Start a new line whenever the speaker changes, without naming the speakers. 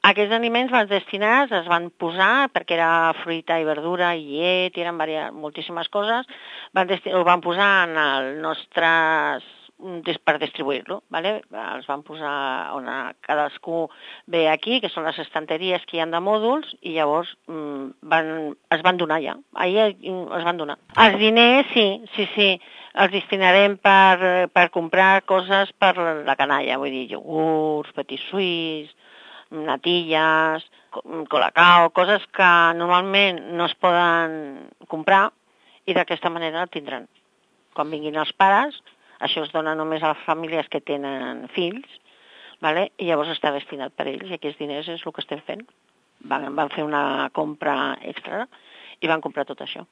Aquests aliments van destinats, es van posar, perquè era fruita i verdura i llet, i eren moltíssimes coses, ho van posar en els nostres per distribuir-lo, ¿vale? Els van posar on cadascú ve aquí, que són les estanteries que hi ha de mòduls, i llavors es van donar ja. Ahir es van donar. Els diners, sí, els destinarem per comprar coses per la canalla, vull dir, iogurts, petit suís, natilles, colacao, coses que normalment no es poden comprar i d'aquesta manera el tindran. Quan vinguin els pares, això es dona només a les famílies que tenen fills, ¿vale? I llavors està destinat per ells, i aquests diners és el que estem fent. Van fer una compra extra i van comprar tot això.